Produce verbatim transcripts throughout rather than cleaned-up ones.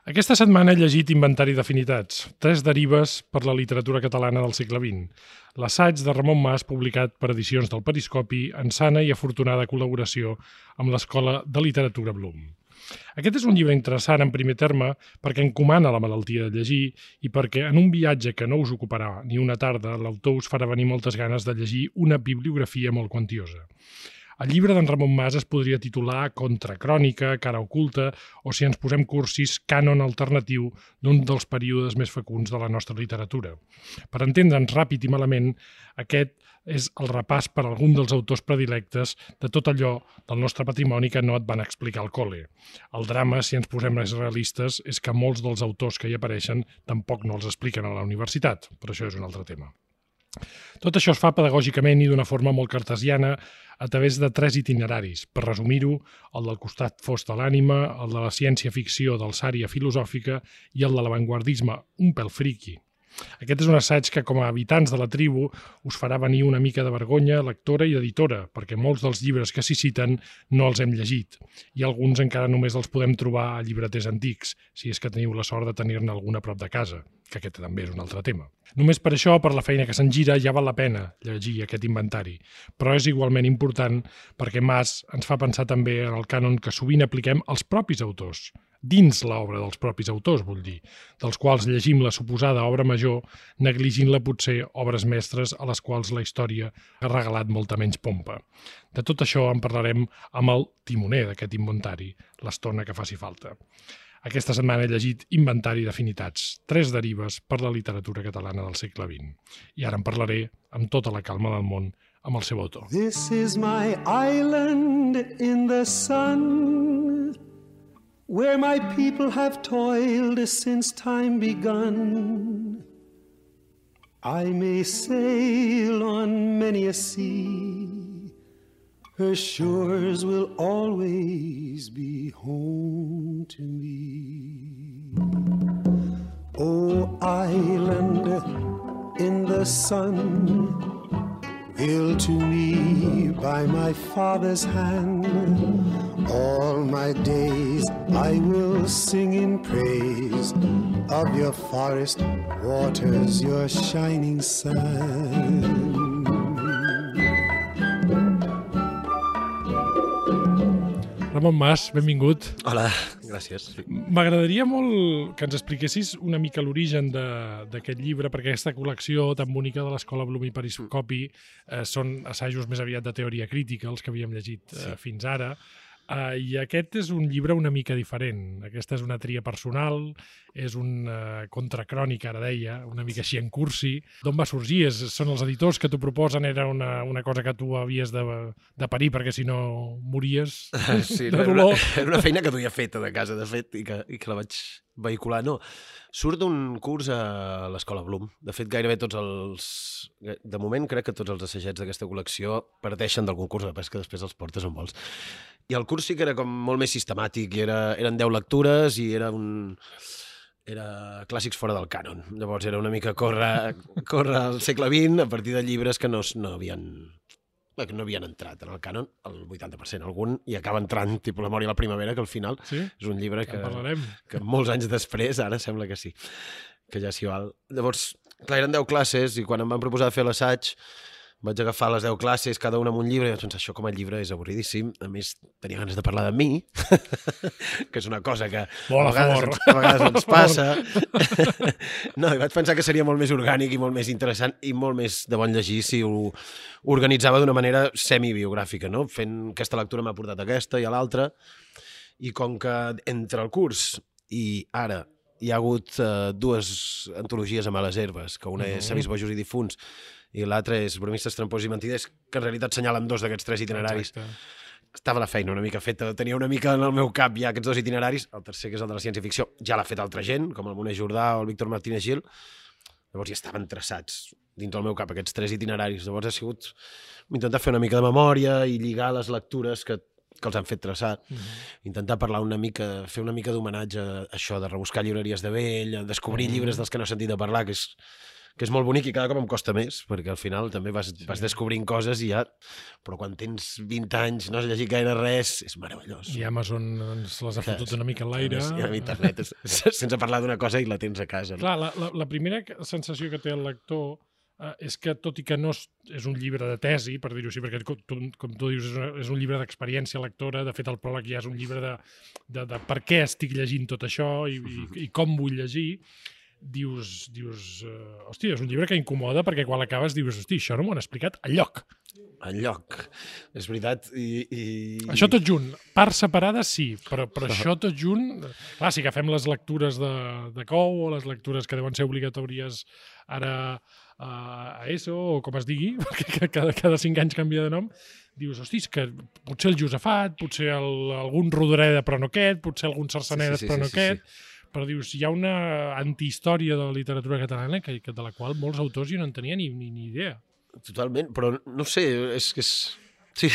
Aquesta setmana he llegit Inventari d'Afinitats, tres derives per la literatura catalana del segle vint. L'assaig de Ramon Mas, publicat per Edicions del Periscopi, en sana i afortunada col·laboració amb l'Escola de Literatura Blum. Aquest és un llibre interessant en primer terme perquè encomana la malaltia de llegir i perquè en un viatge que no us ocuparà ni una tarda, l'autor us farà venir moltes ganes de llegir una bibliografia molt quantiosa. El llibre d'en Ramon Mas es podria titular Contracrònica, Cara oculta, o si ens posem cursis, Cànon alternatiu d'un dels períodes més fecunds de la nostra literatura. Per entendre'ns ràpid i malament, aquest és el repàs per algun dels autors predilectes de tot allò del nostre patrimoni que no et van explicar al col·le. El drama, si ens posem més realistes, és que molts dels autors que hi apareixen tampoc no els expliquen a la universitat, però això és un altre tema. Tot això es fa pedagògicament i d'una forma molt cartesiana a través de tres itineraris. Per resumir-ho, el del costat fos de l'ànima, el de la ciència-ficció d'alçària filosòfica i el de l'avantguardisme, un pèl friqui. Aquest és un assaig que, com a habitants de la tribu, us farà venir una mica de vergonya lectora i editora, perquè molts dels llibres que s'hi citen no els hem llegit, i alguns encara només els podem trobar a llibreters antics, si és que teniu la sort de tenir-ne algun a prop de casa, que aquest també és un altre tema. Només per això, per la feina que se'n gira, ja val la pena llegir aquest inventari, però és igualment important perquè Mas ens fa pensar també en el cànon que sovint apliquem als propis autors, dins l'obra dels propis autors, vull dir, dels quals llegim la suposada obra major, negligint-la potser obres mestres a les quals la història ha regalat molta menys pompa. De tot això en parlarem amb el timoner d'aquest inventari, l'estona que faci falta. Aquesta setmana he llegit Inventari d'Afinitats, tres derives per la literatura catalana del segle vint. I ara en parlaré amb tota la calma del món amb el seu autor. This is my island in the sun, where my people have toiled since time begun. I may sail on many a sea, her shores will always be home to me. Oh, island in the sun, built to me by my father's hand, all my days I will sing in praise of your forest waters, your shining sun. Ramon Mas, benvingut. Hola, gràcies. M'agradaria molt que ens expliquessis una mica l'origen d'aquest llibre, perquè aquesta col·lecció tan bonica de l'Escola Blum i Periscopi eh, són assajos més aviat de teoria crítica, els que havíem llegit eh, sí. fins ara, Uh, i aquest és un llibre una mica diferent. Aquesta és una tria personal, és un uh, contracrònica, ara deia, una mica així en cursi. D'on va sorgir? És, són els editors que t'ho proposen? Era una, una cosa que tu havies de, de parir perquè si no mories sí, de era dolor? Una, era una feina que duia feta de casa, de fet, i que, i que la vaig vehicular. No, surt d'un curs a l'Escola Blum. De fet, gairebé tots els... De moment, crec que tots els assajets d'aquesta col·lecció parteixen d'algun curs, de pesca, després els portes on vols. I el curs sí que era com molt més sistemàtic, i era, eren deu lectures i era un... era clàssics fora del cànon. Llavors era una mica córrer, córrer al segle vint a partir de llibres que no, no havien... que no havien entrat en el cànon, el vuitanta per cent algun, i acaba entrant, tipus La Mort i la Primavera, que al final sí? és un llibre que, en que molts anys després, ara sembla que sí, que ja s'hi val. Llavors, clar, eren deu classes, i quan em van proposar de fer l'assaig, vaig agafar les deu classes, cada una amb un llibre, i vaig pensar, això com a llibre és avorridíssim, a més tenia ganes de parlar de mi, que és una cosa que Bona a vegades, a vegades ens passa. No, i vaig pensar que seria molt més orgànic i molt més interessant i molt més de bon llegir si ho organitzava d'una manera semibiogràfica, no? Fent aquesta lectura m'ha portat aquesta i a l'altra, i com que entre el curs i ara hi ha hagut uh, dues antologies a males herbes, que una és Savis, bojos i difunts, i l'altre és Bromistes, trampors i mentiders, que en realitat senyalen dos d'aquests tres itineraris. Exacte. Estava la feina una mica feta, tenia una mica en el meu cap ja aquests dos itineraris, el tercer, que és el de la ciència-ficció, ja l'ha fet altra gent, com el Moner Jordà o el Víctor Martínez Gil, llavors ja estaven traçats dins del meu cap aquests tres itineraris, llavors ha sigut intentar fer una mica de memòria i lligar les lectures que, que els han fet traçar, uh-huh. intentar parlar una mica, fer una mica d'homenatge a això, de rebuscar llibreries de vell, a descobrir uh-huh. llibres dels que no he sentit a parlar, que és que és molt bonic i cada cop em costa més, perquè al final també vas, sí. vas descobrint coses i ja... Però quan tens vint anys, no has llegit gaire res, és meravellós. I Amazon ens les ha fotut una mica en l'aire. I amb internet, sense parlar d'una cosa i la tens a casa. No? Clar, la, la, la primera sensació que té el lector eh, és que, tot i que no és, és un llibre de tesi, per dir-ho així, perquè com tu, com tu dius, és, una, és un llibre d'experiència lectora, de fet el pròleg ja és un llibre de, de, de per què estic llegint tot això i, i, i com vull llegir, dius, dius uh, hosti, és un llibre que incomoda perquè quan l'acabes dius, hosti, això no m'ho han explicat enlloc. Enlloc, és veritat. I, i... Això tot junt, parts separades sí, però, però això tot junt... Clar, si agafem les lectures de, de Cou o les lectures que deuen ser obligatòries ara a ESO o com es digui, perquè cada, cada cinc anys canvia de nom, dius, hosti, és que potser el Josafat, potser el, algun Rodoreda però no aquest, potser algun Cercenedes sí, sí, sí, però no sí, aquest... Sí, sí. Però dius, hi ha una antihistòria de la literatura catalana que, que de la qual molts autors jo no en tenien ni, ni, ni idea. Totalment, però no sé, és que és... Sí,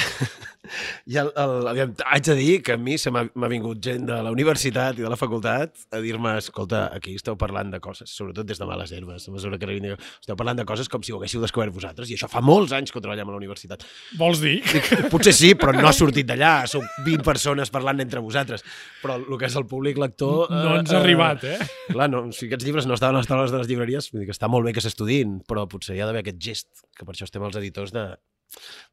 i el, el, el, haig de dir que a mi se m'ha vingut gent de la universitat i de la facultat a dir-me, escolta, aquí esteu parlant de coses, sobretot des de Males Herbes, a mesura que vinc, esteu parlant de coses com si ho haguéssiu descobert vosaltres, i això fa molts anys que ho treballem a la universitat. Vols dir? Potser sí, però no ha sortit d'allà, sou vint persones parlant entre vosaltres, però el que és el públic lector... No ens ha eh, arribat, eh? Clar, no, si aquests llibres no estaven a les taules de les llibreries, vull dir que està molt bé que s'estudiïn, però potser hi ha d'haver aquest gest, que per això estem els editors de...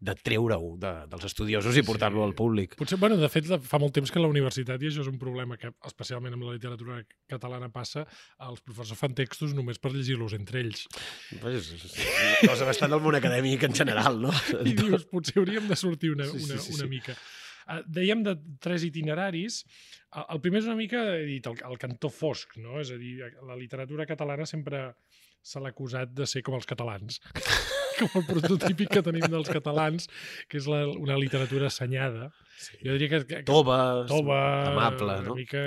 de treure-ho de, dels estudiosos i portar-lo sí. al públic. Potser, bueno, de fet, fa molt temps que a la universitat, i això és un problema que especialment amb la literatura catalana passa, els professors fan textos només per llegir-los entre ells. Pues és, és una cosa bastant del món acadèmic en general, no? I dius, potser hauríem de sortir una, sí, sí, una, sí, una sí. mica. Uh, dèiem de tres itineraris. El primer és una mica, he dit, el, el cantó fosc, no? És a dir, la literatura catalana sempre se l'ha acusat de ser com els catalans. Com el prototípic que tenim dels catalans, que és la, una literatura assenyada. Sí. Jo diria que... que tova, tova amable, una no? mica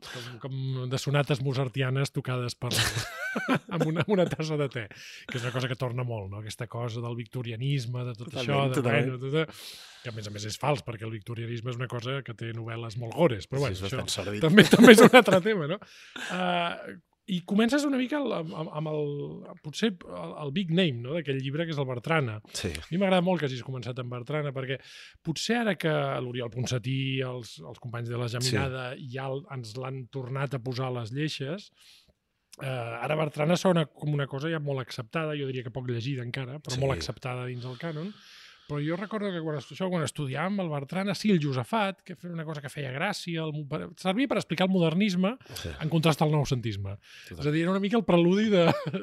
com, com de sonates mozartianes tocades per amb una, una tassa de te, que és una cosa que torna molt, no? Aquesta cosa del victorianisme, de tot totalment, això, de bueno, tot, que a més a més és fals, perquè el victorianisme és una cosa que té novel·les molt gores, però bueno, sí, és això també, també és un altre tema, no? Uh, I comences una mica amb, amb el, potser el, el big name, no?, d'aquell llibre, que és el Bertrana. Sí. A mi m'agrada molt que hagis començat amb Bertrana, perquè potser ara que l'Oriol Ponsatí, els, els companys de la Geminada, sí. ja ens l'han tornat a posar a les lleixes, eh, ara Bertrana sona com una cosa ja molt acceptada, jo diria que poc llegida encara, però sí. molt acceptada dins del cànon. Però jo recordo que quan, això, quan estudiàvem el Bertrana, sí, el Josafat, que era una cosa que feia gràcia, el, per, servia per explicar el modernisme sí. en contrast al noucentisme. Sí, és a dir, era una mica el preludi de...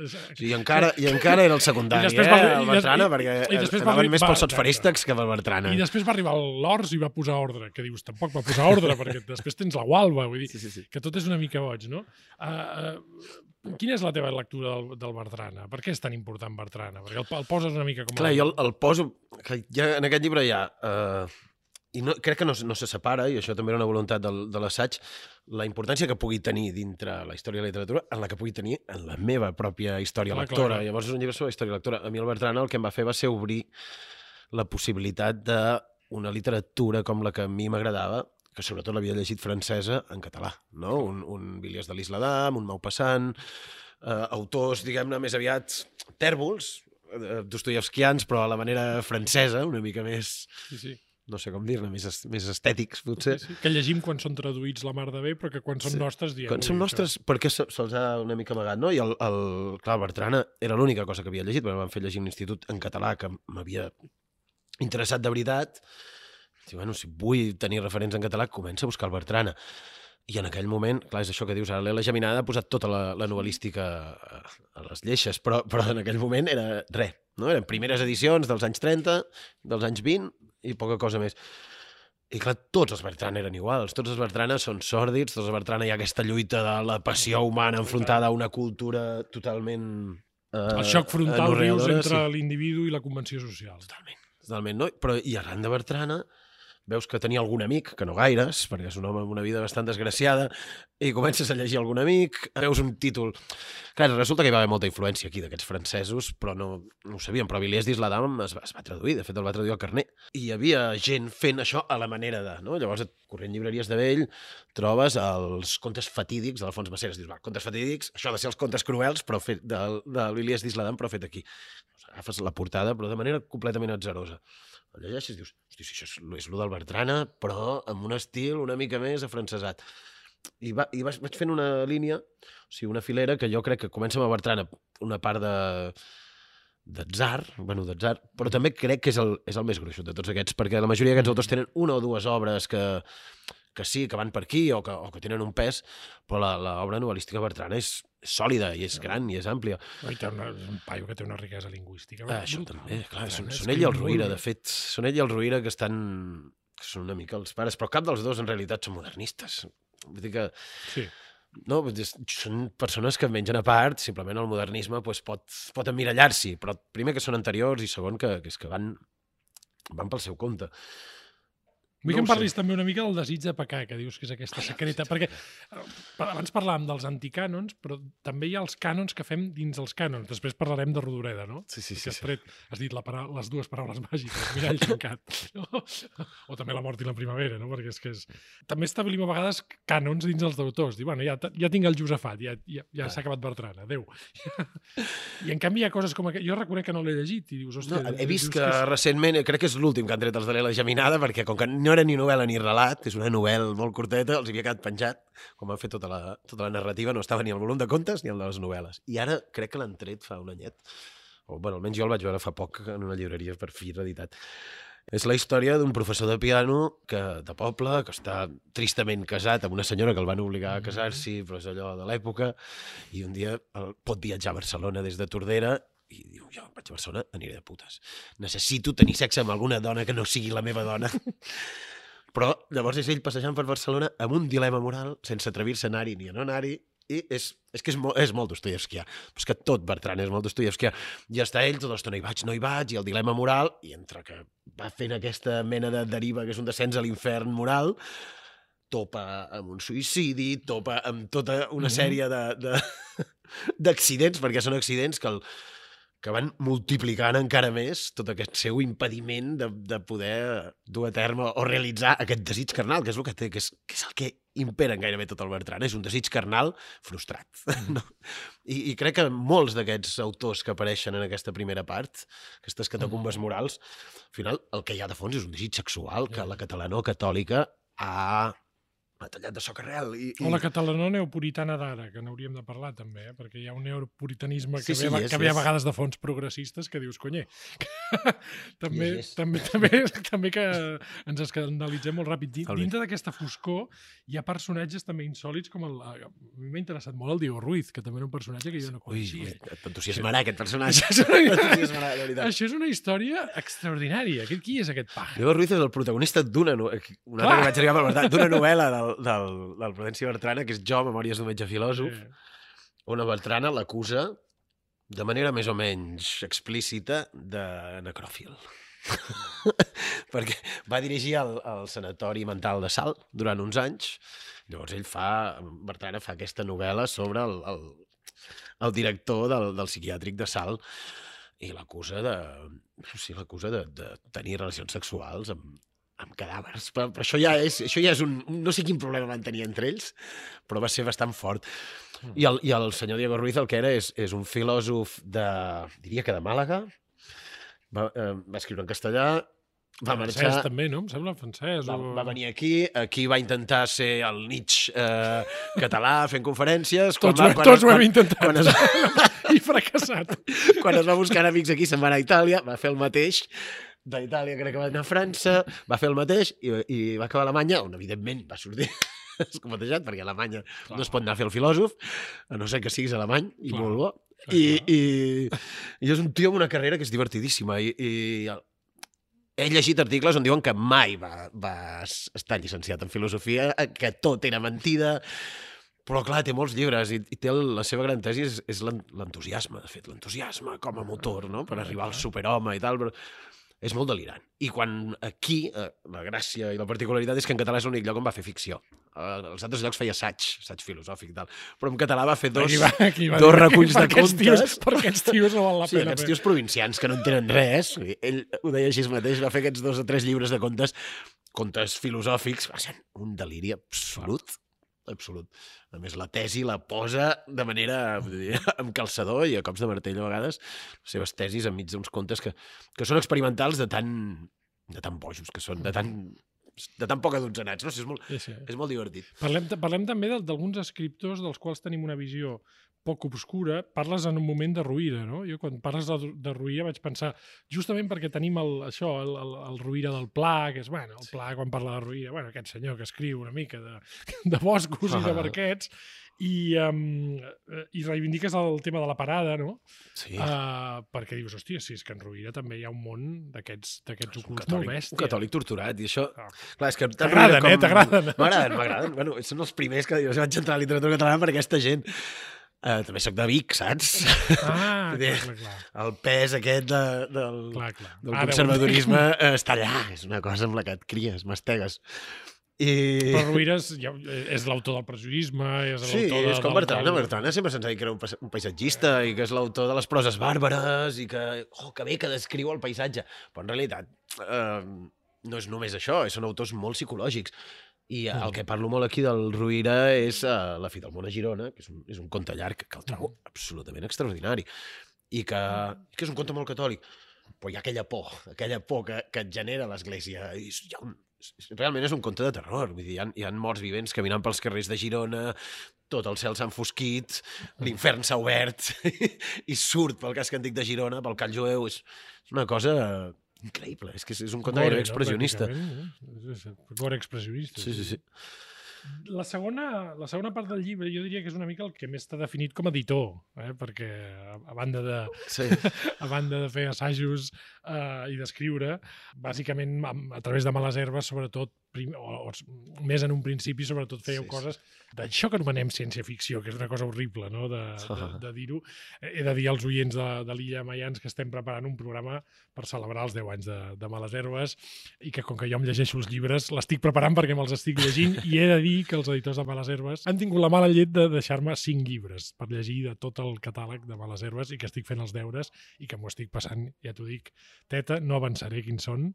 Sí, i, encara, I encara era el secundari, eh, va, el Bertrana, i, perquè i, i anaven més pels sots farístics que pel Bertrana. I després va arribar l'Ors i va posar ordre, que dius, tampoc va posar ordre, perquè després tens la Gualba, vull dir, sí, sí, sí. que tot és una mica boig, no? Uh, uh, Quina és la teva lectura del, del Bertrana? Per què és tan important Bertrana? Perquè el, el poses una mica com... Clar, el... jo el, el poso... Que ja, en aquest llibre hi ha... Uh, I no, crec que no, no se separa, i això també era una voluntat del, de l'assaig, la importància que pugui tenir dintre la història de la literatura en la que pugui tenir en la meva pròpia història clar, lectora. Clar, clar. Llavors és un llibre sobre història lectora. A mi el Bertrana el que em va fer va ser obrir la possibilitat d'una literatura com la que a mi m'agradava, que sobretot l'havia llegit francesa en català, no? Un, un Villiers de l'Isla d'Am, un Maupassant, eh, autors, diguem-ne, més aviat tèrbols, eh, dostoievskians, però a la manera francesa, una mica més, sí, sí. no sé com dir-ne, més, més estètics, potser. Sí, sí. Que llegim quan són traduïts la mar de bé, però que quan són sí. nostres diem... Quan són nostres, això. Perquè se'ls ha una mica amagat, no? I el, el, clar, el Bertrana era l'única cosa que havia llegit, perquè em van fer llegir un institut en català que m'havia interessat de veritat. I, bueno, si vull tenir referents en català, comença a buscar el Bertrana. I en aquell moment, clar, és això que dius, ara l'Ela Geminada ha posat tota la, la novel·lística a, a les lleixes, però, però en aquell moment era res, no? Eren primeres edicions dels anys trenta, dels anys vint i poca cosa més. I clar, tots els Bertrana eren iguals, tots els Bertrana són sòrdids, tots els Bertrana hi ha aquesta lluita de la passió humana enfrontada a una cultura totalment... Eh, el xoc frontal, dius, entre sí. l'individu i la convenció social. Totalment, totalment, no? Però i arran de Bertrana veus que tenia algun amic, que no gaires, perquè és un home amb una vida bastant desgraciada, i comences a llegir algun amic, veus un títol... Clar, resulta que hi va haver molta influència aquí d'aquests francesos, però no, no ho sabíem, però Villiers d'Isla-Dam es, va, es va traduir, de fet el va traduir al Carner. I hi havia gent fent això a la manera de... No? Llavors, corrent llibreries de vell, trobes els contes fatídics de l'Alfons Maceres. Dius, va, contes fatídics, això ha de ser els contes cruels, però fet del, del Villiers d'Isla-Dam, però fet aquí. Agafes la portada, però de manera completament atzerosa. El llegeixes i dius, hosti, si això és, és lo del Bertrana, però amb un estil una mica més afrancesat. I, va, i vaig, vaig fent una línia, o sigui, una filera que jo crec que comença amb el Bertrana, una part de d'atzar, bueno, d'atzar, però també crec que és el, és el més gruixut de tots aquests, perquè la majoria d'aquests autors tenen una o dues obres que, que sí, que van per aquí o que, o que tenen un pes, però l'obra novel·lística Bertrana és, és sòlida i és gran i és àmplia. I té una, és un paio que té una riquesa lingüística. Ah, això també, clar, són, són ell i el Rovira, de fet, són ell i el Rovira que estan... que són una mica els pares, però cap dels dos en realitat són modernistes. Vull dir que... Sí. No, són persones que mengen a part, simplement el modernisme pues, pot, pot emmirallar-s'hi, però primer que són anteriors i segon que, que, és que van, van pel seu compte. Vull No que em ho parlis sé. també una mica del desig de pecar, que dius que és aquesta secreta, perquè eh, abans parlàvem dels anticànons, però també hi ha els cànons que fem dins els cànons. Després parlarem de Rodoreda, no? Sí, sí, Que sí. has sí. tret, has dit la para... les dues paraules màgiques, mirall tancat. No? O també la mort i la primavera, no? Perquè és que és... També establim a vegades cànons dins els d'autors. Diu, bueno, ja, ja tinc el Josafat, ja, ja, ja s'ha acabat Bertrana, adéu. I en canvi hi ha coses com aquest... Jo reconec que no l'he llegit i dius, hòstia... No, he vist dius que, que és... recentment, crec que és l'últim que han tret els de l'Ela Geminada, perquè com que no era ni novel·la ni relat, és una novel·la molt curteta, els havia quedat penjat, com han fet tota la, tota la narrativa, no estava ni al volum de contes ni al de les novel·les. I ara crec que l'han tret fa un anyet. O, bueno, almenys jo el vaig veure fa poc en una llibreria per fi reeditat. És la història d'un professor de piano que, de poble, que està tristament casat amb una senyora que el van obligar a casar-s'hi, però és allò de l'època, i un dia el, pot viatjar a Barcelona des de Tordera i diu, jo vaig a Barcelona, aniré de putes. Necessito tenir sexe amb alguna dona que no sigui la meva dona. Però llavors és ell passejant per Barcelona amb un dilema moral, sense atrevir-se a anar-hi ni a no anar-hi, i és, és que és, mo, és molt Dostoievskià. Però és que tot Bertran és molt Dostoievskià. I està ell, tota l'estona hi vaig, no hi vaig, i el dilema moral, i entre que va fent aquesta mena de deriva que és un descens a l'infern moral, topa amb un suïcidi, topa amb tota una sèrie de, de, d'accidents, perquè són accidents que el, que van multiplicant encara més tot aquest seu impediment de, de poder dur a terme o realitzar aquest desig carnal, que és el que té, que és, que és el que impera en gairebé tot el Bertran. És un desig carnal frustrat. No? I, I crec que molts d'aquests autors que apareixen en aquesta primera part, aquestes catacumbes morals, al final el que hi ha de fons és un desig sexual que la catalanó catòlica ha... ha tallat de socarrel. I, i... O la catalana neopuritana d'ara, que n'hauríem de parlar també, eh? Perquè hi ha un neopuritanisme que, Sí, sí, ve, és, que ve a és. vegades de fons progressistes que dius, conye, també, I és. també, també, també que ens escandalitzem molt ràpid. Din- Totalment. Dintre d'aquesta foscor hi ha personatges també insòlits com el... A mi m'ha interessat molt el Diego Ruiz, que també era un personatge que jo no Ui, coneixia. ui, t'entusiasmarà aquest personatge. Això és una- T'entusiasmarà, de veritat. Això és una història extraordinària. Aquest, qui és aquest paja? Diego Ruiz és el protagonista d'una no... una Clar. altra que vaig arribar per Bertran, d'una novel·la del, del, del Prudenci Bertrana, que és Jo, Memòries d'un metge filòsof, Eh, on a Bertrana l'acusa de manera més o menys explícita de necròfil. Perquè va dirigir el, el sanatori mental de Salt durant uns anys. Llavors ell fa, Bertrana fa aquesta novel·la sobre el, el, el director del, del psiquiàtric de Salt i l'acusa de, sí, l'acusa de, de tenir relacions sexuals amb, amb cadàvers. Però, però això ja és, això ja és un... No sé quin problema van tenir entre ells, però va ser bastant fort. I el, i el senyor Diego Ruiz el que era és, és un filòsof de... diria que de Màlaga. Va, eh, va escriure en castellà, va francès marxar... també, no? Em sembla francès. Va, o... va venir aquí, aquí va intentar ser el Nietzsche eh, català fent conferències. Quan Tots, va, ho, quan, tots ho hem quan, intentat. Quan es, I fracassat. quan es va buscar amics aquí, se'n va anar a Itàlia, va fer el mateix. D'Itàlia crec que va anar a França, va fer el mateix i, i va acabar a Alemanya, on evidentment va sortir escomotejat, perquè a Alemanya Clar. no es pot anar a fer el filòsof, a no ser que siguis alemany, i Clar. molt bo. Clar, I, clar. i, I és un tio amb una carrera que és divertidíssima. I, i el- he llegit articles on diuen que mai va, va estar llicenciat en filosofia, que tot era mentida, però clar, té molts llibres i, i té el, la seva gran tesi és, és l'en- l'entusiasme, de fet, l'entusiasme com a motor, no?, per arribar al superhome i tal, però és molt delirant. I quan aquí, eh, la gràcia i la particularitat és que en català és l'únic lloc on va fer ficció. Eh, els altres llocs feia assaig, assaig filosòfic i tal. Però en català va fer dos, Aquí va, aquí va dos dir, reculls de per aquests contes. Tios, per aquests tios no val la Sí, pena. aquests fer. tios provincians que no entenen res. Ell ho deia així mateix, va fer aquests dos o tres llibres de contes, contes filosòfics, va ser un deliri absolut. Absolut. A més, la tesi la posa de manera vull dir, amb calçador i a cops de martell a vegades, les seves tesis enmig d'uns contes que, que són experimentals de tan, de tan bojos que són, de tan, de tan poc adonzanats. No sé, és, molt, Sí, sí. és molt divertit. Parlem, parlem també d'al- d'alguns escriptors dels quals tenim una visió poc obscura. Parles en un moment de Rovira, no? Jo quan parles de, de Rovira vaig pensar, justament perquè tenim el, això, el, el, el Rovira del Pla, que és, bueno, el Pla quan parla de Rovira, bueno, aquest senyor que escriu una mica de, de boscos i de barquets, i, um, i reivindiques el tema de la parada, no? Sí. Uh, perquè dius, hòstia, si és que en Rovira també hi ha un món d'aquests un ocults catòlic, molt bèstia. un catòlic torturat, i això... Ah. Clar, és que... T'agraden, eh? T'agraden. M'agraden, m'agraden. Bueno, són els primers que dius, vaig entrar a la literatura catalana per aquesta gent. Uh, també soc de Vic, saps? Ah, Vull dir, clar, clar, clar. El pes aquest de, del, clar, clar. del Ara, conservadorisme eh, està allà. És una cosa amb la que et cries, mastegues. I... Però Rovira és, ja, és l'autor del prejudicisme, és Sí, l'autor de, és com del- Bertrana. del- Bertrana sempre se'ns ha dit que era un, pas- un paisatgista i que és l'autor de les proses bàrbares i que, oh, que bé que descriu el paisatge. Però en realitat eh, no és només això, són autors molt psicològics. I Mm. el que parlo molt aquí del Rovira és uh, La fi del món a Girona, que és un, és un conte llarg que el trobo absolutament extraordinari i que, que és un conte molt catòlic. Però hi ha aquella por, aquella por que, que et genera l'Església. I és- hi ha un, realment és un conte de terror. Vull dir, hi ha, hi ha morts vivents caminant pels carrers de Girona, tot el cel s'ha enfosquit, l'infern s'ha obert i surt pel casc antic de Girona, pel Call Jueu. És, és una cosa increïble. És que és, és un conte Gore, gairebé no? expressionista. Pràcticament, eh? És- és Gore expressionista. Sí, sí, sí. La segona, la segona part del llibre jo diria que és una mica el que més t'ha definit com a editor, eh? Perquè a, a, banda de, Sí. a banda de fer assajos eh, i d'escriure, bàsicament a, a través de Males Herbes, sobretot, prim, o, o més en un principi, sobretot fèieu Sí, sí. coses d'això que anomenem ciència-ficció, que és una cosa horrible, no?, de, de, de dir-ho. He de dir als oients de, de l'Illa Maians que estem preparant un programa per celebrar els deu anys de, de Males Herbes i que com que jo em llegeixo els llibres, l'estic preparant perquè me'ls estic llegint i he de dir que els editors de Males Herbes han tingut la mala llet de deixar-me cinc llibres per llegir de tot el catàleg de Males Herbes i que estic fent els deures i que m'ho estic passant, ja t'ho dic, teta, no avançaré quins són.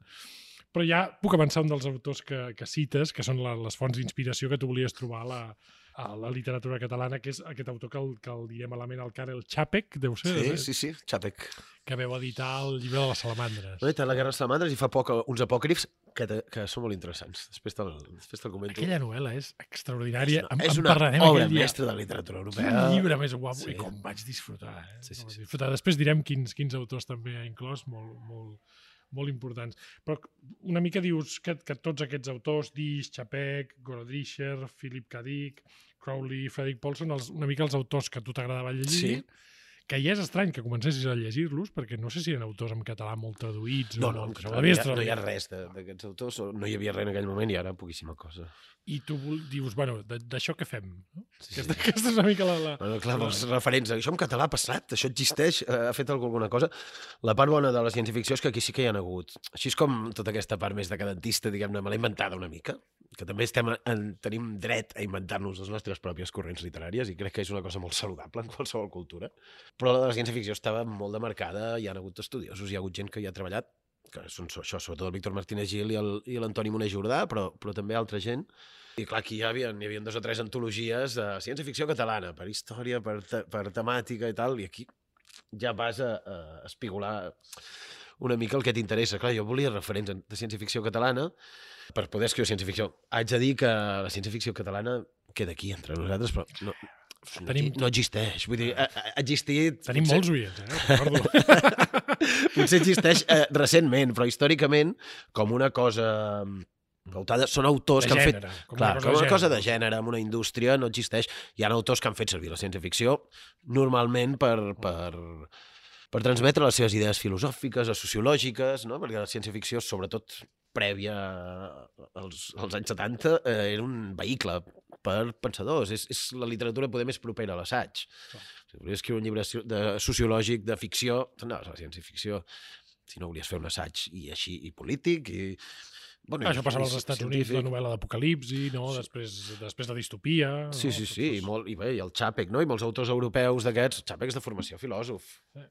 Però ja puc avançar un dels autors que, que cites, que són la, les fonts d'inspiració que tu volies trobar a la, a la literatura catalana, que és aquest autor que el, que el diré malament, el Karel Čapek, deu ser, Sí, sí, sí, Čapek. que veu editar el llibre de les salamandres. No, i té la Guerra de Salamandres i fa poc uns apòcrifs que, te, que són molt interessants. Després te'l després te comento. Aquella novel·la és extraordinària. és En, una, és en una parlarem obra aquell dia. mestra de la literatura Quin europea. llibre més guapo. Sí. I com vaig disfrutar. Eh? Sí, sí, Com vaig sí. disfrutar. Després direm quins, quins autors també ha inclòs, molt, molt, molt importants. Però una mica dius que, que tots aquests autors, Dish, Čapek, Gorodischer, Philip K. Dick, Crowley, Frederick Paul, són els, una mica els autors que a tu t'agradava llegir, Sí. que ja és estrany que comencessis a llegir-los, perquè no sé si eren autors en català molt traduïts No, o no, molt, no, que no, devies hi ha, no hi ha traduir. res de- d'aquests autors, o no hi havia res en aquell moment i ara poquíssima cosa. I tu vol- dius, bueno, de- d'això què fem? No? Sí, Aquesta, sí. aquesta és una mica la... la... Bueno, clar, els referents, això en català ha passat, això existeix, eh, ha fet alguna cosa. La part bona de la ciència-ficció és que aquí sí que hi ha hagut. Així és com tota aquesta part més decadentista, diguem-ne, me l'he inventada una mica, que també estem en, tenim dret a inventar-nos les nostres pròpies corrents literàries i crec que és una cosa molt saludable en qualsevol cultura. Però la de la ciència-ficció estava molt demarcada, hi ha hagut estudiosos, hi ha hagut gent que hi ha treballat, que són so- això, sobretot el Víctor Martínez Gil i el- i l'Antoni Moner Jordà, però, però també altra gent. I clar, aquí hi havia, hi havia dos o tres antologies de ciència-ficció catalana, per història, per, te, per temàtica i tal, i aquí ja vas a, a espigolar una mica el que t'interessa. Clar, jo volia referents de ciència-ficció catalana per poder escriure ciència-ficció. Haig de dir que la ciència-ficció catalana queda aquí entre nosaltres, però no, no, Tenim- no existeix. Vull dir, ha, ha existit... Tenim potser- molts oients, eh? Recordo. Potser existeix eh, recentment, però històricament, com una cosa pautada, són autors De que han fet... gènere, com Clar, una cosa com de una cosa de gènere. gènere, amb una indústria, no existeix. Hi ha autors que han fet servir la ciència-ficció normalment per, per, per transmetre les seves idees filosòfiques o sociològiques, no? Perquè la ciència-ficció, sobretot prèvia als, als anys setanta, eh, era un vehicle per pensadors. És, és la literatura poder més propera a l'assaig. Si volia escriure un llibre de sociològic, de ficció, no, la ciència-ficció si no volies fer un assaig i així, i polític, i... Bueno, això passava als Estats Units, la novel·la d'Apocalipsi, no? Sí. després, després de Distopia... Sí, no? sí, sí, i, molt, i bé, i el Čapek, no? I molts autors europeus d'aquests, Čapek és de formació filòsof. Sí.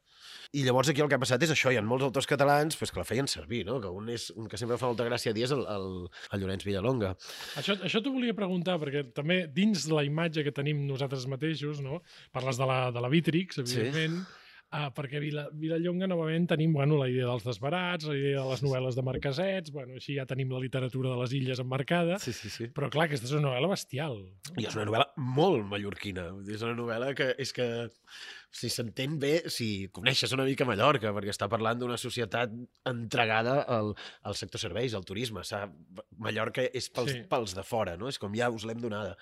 I llavors aquí el que ha passat és això, hi ha molts autors catalans pues, que la feien servir, no? Que un, és, un que sempre fa molta gràcia a dir és el, el, el Llorenç Villalonga. Això, això t'ho volia preguntar, perquè també dins de la imatge que tenim nosaltres mateixos, no? Parles de la, de la Vítrix, evidentment, sí. Ah, perquè Vila, Vilallonga, novament, tenim bueno, la idea dels desbarats, la idea de les novel·les de marquesets, bueno, així ja tenim la literatura de les illes emmarcada, sí, sí, sí. Però clar, aquesta és una novel·la bestial. I és una novel·la molt mallorquina. És una novel·la que és que si s'entén bé, si coneixes una mica Mallorca, perquè està parlant d'una societat entregada al, al sector serveis, al turisme. Mallorca és pels, sí. pels de fora, no? És com ja us l'hem donada.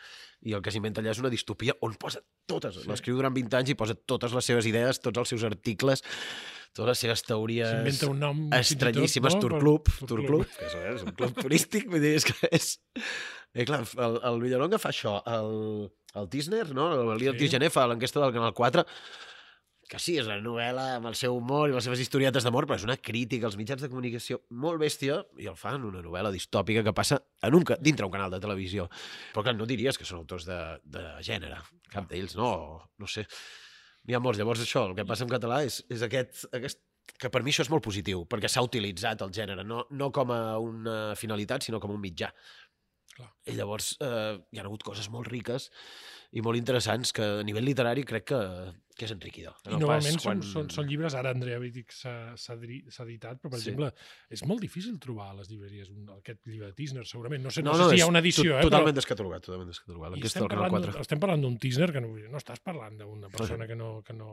I el que s'inventa allà és una distopia on posa totes, sí. l'escriu durant vint anys i posa totes les seves idees, tots els seus articles, totes les seves teories s'inventa un nom estranyíssimes, no? Tourclub, per... Tourclub, que és, és un club turístic, vull dir, és que és... I clar, el, el Villalonga fa això, el, el Tisner, no? El Líder sí. Tigener fa l'enquesta del Canal quatre, que sí, és una novel·la amb el seu humor i les seves historietes d'amor, però és una crítica als mitjans de comunicació molt bèstia, i el fan una novel·la distòpica que passa en un, dintre un canal de televisió. Però clar, no diries que són autors de, de gènere, cap d'ells, no, no sé. N'hi ha molts. Llavors això, el que passa en català és, és aquest, aquest, que per mi això és molt positiu, perquè s'ha utilitzat el gènere, no, no com a una finalitat, sinó com un mitjà. Clar. I llavors eh, hi ha hagut coses molt riques i molt interessants que a nivell literari crec que, que és enriquidor. I normalment quan... són, són, són llibres, ara Andrea Vítrix s'ha editat, però per sí. exemple és molt difícil trobar a les llibreries un, aquest llibre de Tisner, segurament. No sé, no, no, no sé si hi ha una edició. To, totalment eh, però... descatalogat, totalment descatalogat. I estem parlant, estem parlant d'un Tisner que no, no estàs parlant d'una persona que no, que no...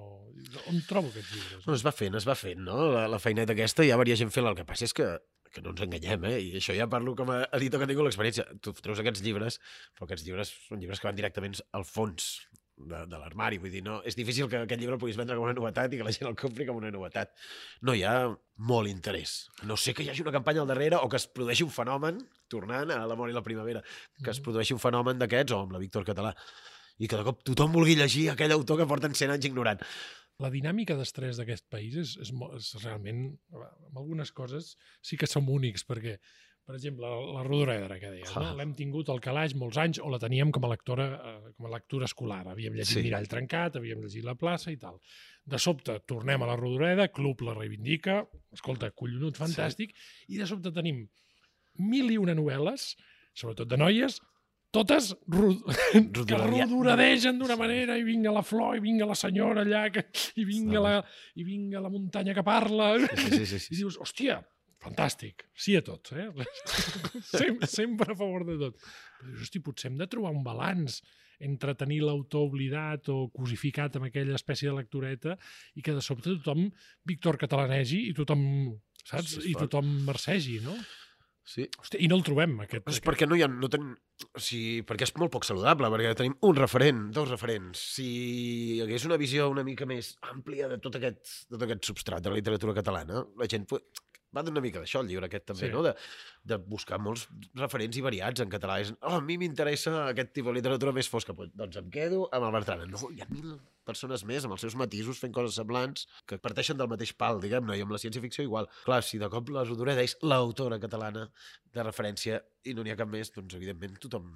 On trobo aquests llibres? No, es va fent, es va fent, no? La, la feineta aquesta ja varia gent fent-la. El que passa és que que no ens enganyem, eh? I això ja parlo com a editor que tinc l'experiència. Tu treus aquests llibres, però aquests llibres són llibres que van directament al fons de, de l'armari. Vull dir, no, és difícil que aquest llibre el puguis vendre com una novetat i que la gent el compri com una novetat. No hi ha molt interès. No sé que hi hagi una campanya al darrere o que es produeixi un fenomen, tornant a l'amor i la primavera, que es produeixi un fenomen d'aquests, o amb la Víctor Català, i que de cop tothom vulgui llegir aquell autor que porten cent anys ignorant. La dinàmica d'estrès d'aquest país és, és, és realment, en algunes coses sí que som únics, perquè, per exemple, la, la Rodoreda, que deies, no? L'hem tingut al calaix molts anys, o la teníem com a lectora, eh, com a lectura escolar. Havíem llegit sí. Mirall trencat, havíem llegit La plaça i tal. De sobte, tornem a la Rodoreda, Club la reivindica, escolta, collonut, fantàstic, sí. I de sobte tenim mil i una novel·les, sobretot de noies, totes rod... que rodoradegen d'una manera, i vinga la flor, i vinga la senyora allà, que... I, vinga la... i vinga la muntanya que parla. Sí, sí, sí, sí. I dius, hòstia, fantàstic, sí a tot, eh? Sem sempre a favor de tot. Però dius, hosti, potser hem de trobar un balanç entre tenir l'autor oblidat o cosificat amb aquella espècie de lectureta i que de sobte tothom Víctor catalanegi i tothom, saps? Sí, I tothom marcegi, no? Sí. Hòstia, i no el trobem, aquest. És perquè no hi ha... No ten... o sigui, perquè és molt poc saludable, perquè tenim un referent, dos referents. Si hi hagués una visió una mica més àmplia de tot aquest, de tot aquest substrat de la literatura catalana, la gent va d'una mica d'això, el llibre aquest també, sí. no? De, de buscar molts referents i variats en català. És, oh, a mi m'interessa aquest tipus de literatura més fosca. Doncs em quedo amb el Bertran. No, hi ha mil persones més amb els seus matisos fent coses semblants que parteixen del mateix pal, diguem-ne, i amb la ciència-ficció igual. Clar, si de cop la Rodoreda és l'autora catalana de referència i no n'hi ha cap més, doncs evidentment tothom...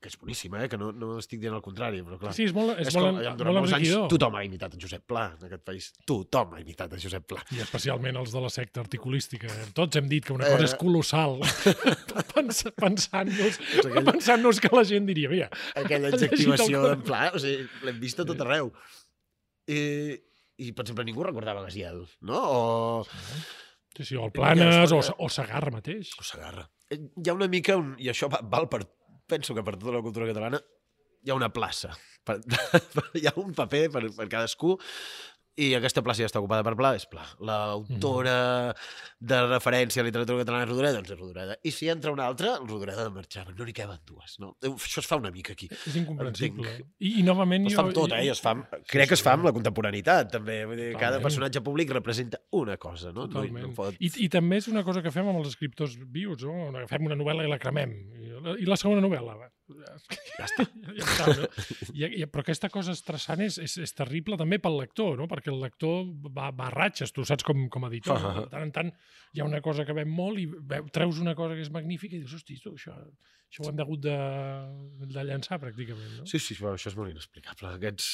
que és boníssima, eh? Que no, no estic dient el contrari, però clar... Sí, és molt, és és molt, com, molt, durant molt molts anys enriquidor. tothom ha imitat en Josep Pla en aquest país. Tothom ha imitat en Josep Pla. I especialment els de la secta articulística. Tots hem dit que una cosa eh... és colossal. Pensant-nos aquell... pensant que la gent diria, mira... Aquella adjectivació d'en Pla, o sigui, l'hem vist a tot arreu. I, I, per exemple, ningú recordava Gaziel, no? O... Sí, sí, o el Planes, o, o Segarra mateix. O Segarra. Hi ha una mica, un... i això val per... penso que per tota la cultura catalana hi ha una plaça. Per, hi ha un paper per, per cadascú i aquesta plaça ja està ocupada per Pla, és Pla. L'autora de referència a la literatura catalana és Rodoreda, doncs és Rodoreda. I si entra una altra, el Rodoreda de marxar. No n'hi caben dues. No? Això es fa una mica aquí. És incomprensible. I, I novament... Es fa amb tot, eh? Es fa amb, crec que es fa amb la contemporaneitat, també. Vull dir, cada personatge públic representa una cosa, no? Totalment. No, no pot... I, I també és una cosa que fem amb els escriptors vius, no? Fem una novel·la i la cremem. I la, i la segona novel·la, va. Ja està. Ja està, no? I, i, però aquesta cosa estressant és, és, és terrible també pel lector, no? Perquè el lector va, va a ratxes, tu saps com, com a editor. No? De tant en tant hi ha una cosa que ven molt i veu, treus una cosa que és magnífica i dius, hosti, tu, això, això ho hem hagut de, de llançar pràcticament. No? Sí, sí, però això és molt inexplicable. Aquests,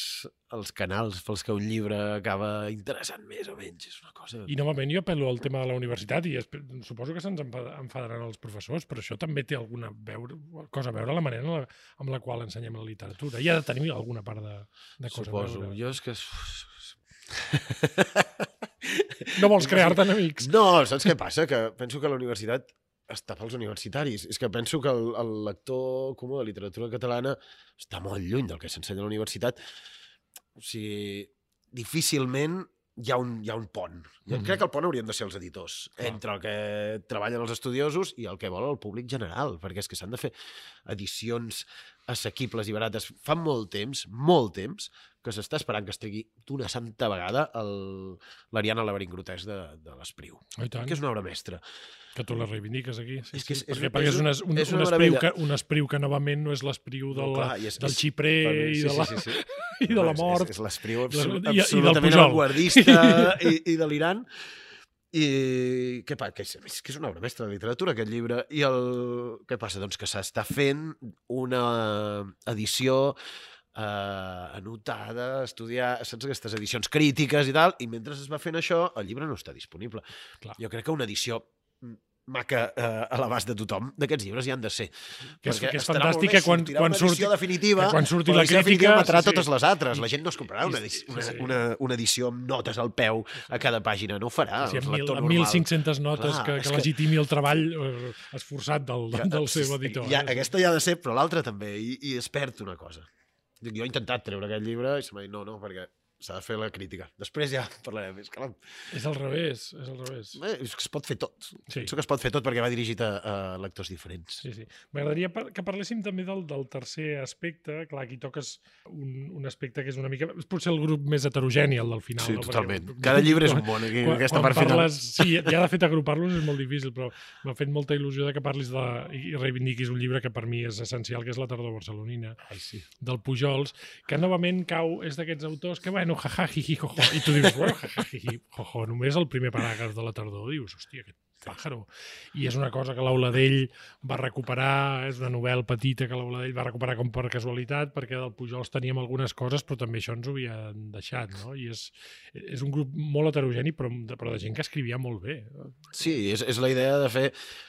els canals pels que un llibre acaba interessant més o menys, és una cosa... I novament jo apel·lo al tema de la universitat i suposo que se'ns enfadaran els professors, però això també té alguna veure, cosa a veure la manera la, amb la qual ensenyem la literatura. Hi ha de tenir alguna part de, de cosa Suposo. a veure. Jo és que... No vols crear-te enemics? No, saps què passa? Que penso que la universitat està pels universitaris. És que penso que el, el lector comú de literatura catalana està molt lluny del que s'ensenya a la universitat. O sigui, difícilment hi ha un, hi ha un pont. Jo mm-hmm. crec que el pont haurien de ser els editors, clar, entre el que treballen els estudiosos i el que vol el públic general, perquè és que s'han de fer edicions assequibles i barates. Fa molt temps, molt temps, que s'està esperant que es tregui d'una santa vegada l'Ariana Laberint Grotesc de, de l'Espriu, que és una obra mestra. Que tu la reivindiques aquí. Sí, és que és, sí, perquè, és, perquè és, un, un, és un, espriu que, un espriu que novament no és l'espriu del, no, clar, és, del xiprer i, sí, de la, sí, sí, sí. i de la mort. És, és l'espriu absolut, i, absolutament i avantguardista i, i delirant. I què passa? Que és, que és una obra mestra de literatura, aquest llibre. I el... què passa? Doncs que s'està fent una edició eh, anotada, estudiar, saps, aquestes edicions crítiques i tal, i mentre es va fent això, el llibre no està disponible. Clar. Jo crec que una edició maca eh, a l'abast de tothom, d'aquests llibres hi han de ser. Que és, que és fantàstic que quan, quan, surti, definitiva, que quan surti la crítica... matarà sí, sí. totes les altres. La gent no es comprarà una, edició, una, sí, sí. una, una edició amb notes al peu a cada pàgina. No ho farà. Sí, amb mil, amb mil cinc-centes notes clar, que, que, que legitimi el treball eh, esforçat del, del, del seu editor. Ja, eh? Aquesta ja ha de ser, però l'altra també. I, I es perd una cosa. Jo he intentat treure aquest llibre i se m'ha dit no, no, perquè s'ha de fer la crítica. Després ja parlarem. És, que... és al revés, és al revés. Bé, és que es pot fer tot. Sí. Penso que es pot fer tot perquè va dirigit a, a lectors diferents. Sí, sí. M'agradaria que parléssim també del, del tercer aspecte. Clar, aquí toques un, un aspecte que és una mica... És potser el grup més heterogeni, el del final. Sí, no? totalment. Perquè, cada llibre és un món, aquí, quan, aquesta quan part parles, final. Sí, ja de fet agrupar-los és molt difícil, però m'ha fet molta il·lusió de que parlis de, i reivindiquis un llibre que per mi és essencial, que és La tardor barcelonina, Ai, sí. del Pujols, que novament cau, és d'aquests autors que, bueno, jaja, jiji, jojo, i tu dius, bueno, jaja, jiji, jojo, només el primer paràgraf de La tardor, dius, hòstia, aquest pàjaro. I és una cosa que l'Auladell va recuperar, és una novel·la petita que l'Auladell va recuperar com per casualitat, perquè del Pujols teníem algunes coses, però també això ens ho havien deixat, no? I és, és un grup molt heterogeni, però, però de gent que escrivia molt bé. Sí, és, és la idea de fer...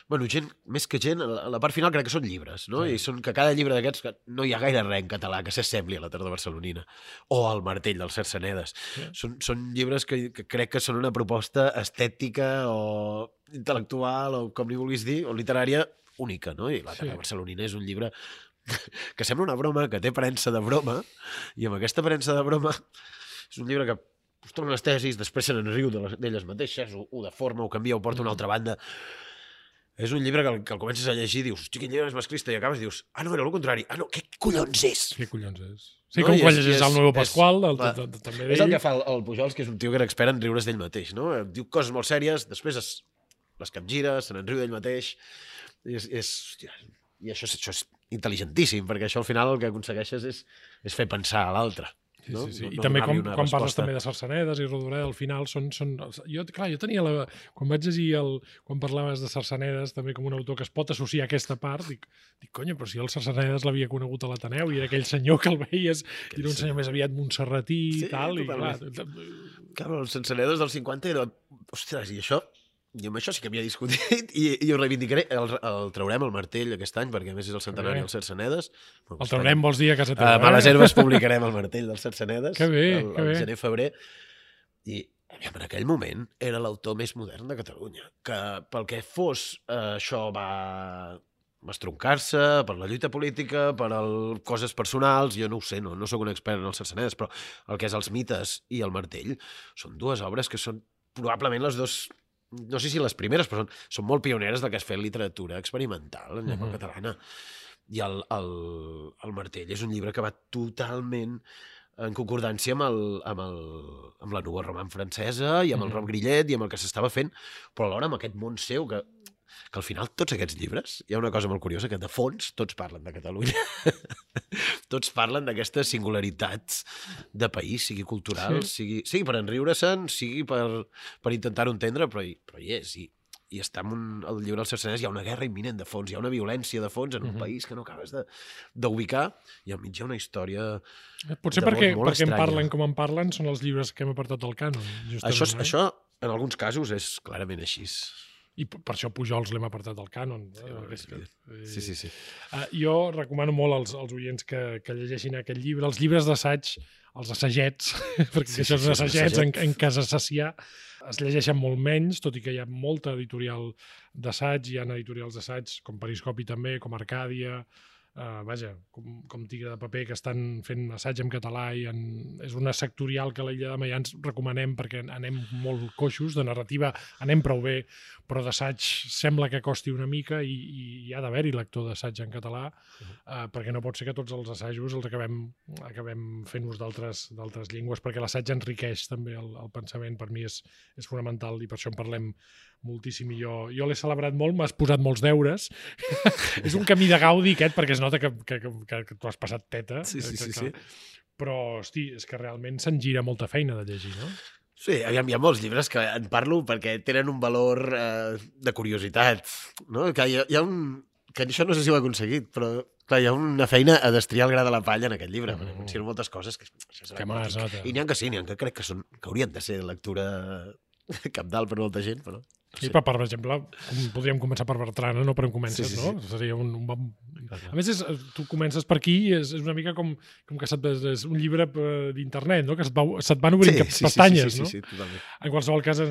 Bueno, gent, més que gent, a la part final crec que són llibres, no? Sí. I són que cada llibre d'aquests, que no hi ha gaire res en català que s'assembli a La tardor barcelonina o al Martell dels Cercenedes. Sí. Són, són llibres que, que crec que són una proposta estètica o intel·lectual o com li vulguis dir, o literària única, no? I La tardor sí. barcelonina és un llibre que sembla una broma, que té premsa de broma, i amb aquesta premsa de broma és un llibre que us torna les tesis, després se n'enriu d'elles mateixes, ho, ho deforma, ho canvia, ho porta a una altra banda. És un llibre que el, que el comences a llegir i dius, hosti, quin llibre és masclista, i acabes i dius, ah, no, era el contrari, ah, no, què collons és? Què collons és? Sí, no? Com quan llegeix el Nuevo Pasqual, del, és, de, de, també d'ell. És el que fa el, el Pujols, que és un tio que era expert en riure's d'ell mateix, no? Diu coses molt sèries, després es, les capgira, se n'enriu d'ell mateix, i, és, és, hòstia, i això, això és intel·ligentíssim, perquè això al final el que aconsegueixes és, és fer pensar a l'altre. Sí, no? sí, sí. No, I no també quan, quan resposta. parles també de Cercenedes i Rodoreda, al final són... són jo, clar, jo tenia la... Quan vaig llegir el... Quan parlaves de Cercenedes, també com un autor que es pot associar a aquesta part, dic, dic conya, però si el Cercenedes l'havia conegut a l'Ateneu i era aquell senyor que el veies, i era un senyor més aviat montserratí i sí, tal, i clar... Clar, els Cercenedes del cinquanta era... Ostres, i això... Jo amb això sí que havia discutit i, i ho reivindicaré. El, el traurem el Martell aquest any, perquè a més és el centenari dels Cercenedes. El traurem, vols dir, a casa teva? A Males Herbes publicarem el Martell dels Cercenedes. Que bé, el, que bé. El gener-febrer. I en aquell moment era l'autor més modern de Catalunya. Que pel que fos, eh, això va... va estroncar-se per la lluita política, per el, coses personals, jo no ho sé, no, no sóc un expert en els Cercenedes, però el que és els mites i el Martell són dues obres que són probablement les dues... no sé si les primeres, però són, són molt pioneres del que es fa literatura experimental en llengua uh-huh. catalana. I el, el, el Martell és un llibre que va totalment en concordància amb, el, amb, el, amb la Nouveau Roman francesa i amb uh-huh. el Rob Grillet i amb el que s'estava fent, però alhora amb aquest món seu que que al final tots aquests llibres, hi ha una cosa molt curiosa, que de fons tots parlen de Catalunya. Tots parlen d'aquestes singularitats de país, sigui cultural, sí. sigui, sigui per enriure-se'n, sigui per, per intentar-ho entendre, però hi, però hi és. I, i està en un, el llibre del Cercenès, hi ha una guerra imminent de fons, hi ha una violència de fons en un uh -huh. país que no acabes d'ubicar, i al mig hi ha una història potser de perquè, molt, molt perquè em estranya. parlen com em parlen són els llibres que hem apartat del cànon. Això, eh? això, en alguns casos, és clarament així. I per això Pujols l'hem apartat del cànon. Sí, Eh? sí, Eh, sí, sí, sí. Uh, jo recomano molt als, als oients que, que llegeixin aquest llibre, els llibres d'assaig, els assagets, perquè Sí, això sí, és sí, assagets assagets. en, en casa saciar, es llegeixen molt menys, tot i que hi ha molta editorial d'assaig, hi ha editorials d'assaig, com Periscopi també, com Arcàdia, Uh, vaja, com, com Tigre de Paper, que estan fent assaig en català i en, és una sectorial que a l'Illa de Maià ens recomanem perquè anem molt coixos, de narrativa anem prou bé, però d'assaig sembla que costi una mica i, i hi ha d'haver-hi lector d'assaig en català, uh, perquè no pot ser que tots els assajos els acabem, acabem fent ús d'altres d'altres llengües, perquè l'assaig enriqueix també el, el pensament, per mi és, és fonamental i per això en parlem moltíssim i jo, jo l'he celebrat molt, m'has posat molts deures. És un camí de gaudi aquest, perquè es nota que, que, que, que tu has passat teta. Sí, sí, que, sí, que, sí. Però, hosti, és que realment se'n gira molta feina de llegir, no? Sí, aviam, hi ha molts llibres que en parlo perquè tenen un valor eh, de curiositat, no? Que hi ha, hi ha un... que això no sé si ho he aconseguit, però clar, hi ha una feina a destriar el gra de la palla en aquest llibre, mm. perquè menciono moltes coses que... Això que m'has nota. I n'hi ha que sí, n'hi ha que crec que, són, que haurien de ser lectura capdalt per molta gent, però... Sí, però, per exemple, podríem començar per Bertrana, no per on comences, sí, sí, no? Seria un, un bon... A més, és, tu comences per aquí i és, és una mica com, com que se't, és un llibre d'internet, no? Que se't, va, se't van obrint sí, sí, pestanyes, sí, sí, no? Sí, sí, totalment. En qualsevol cas,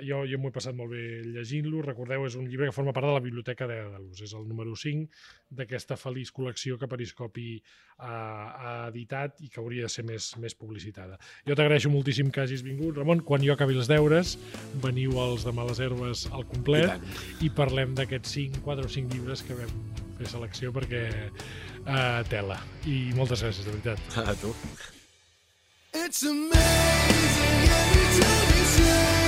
jo, jo m'ho he passat molt bé llegint-lo. Recordeu, és un llibre que forma part de la Biblioteca d'Èdalus. És el número cinc d'aquesta feliç col·lecció que Periscopi ha, ha editat i que hauria de ser més, més publicitada. Jo t'agraeixo moltíssim que hagis vingut, Ramon. Quan jo acabi els deures, veniu als de Males Herbes al complet i, i parlem d'aquests cinc, quatre o cinc llibres que vam fer selecció perquè uh, tela. I moltes gràcies, de veritat. A tu. It's amazing every time you say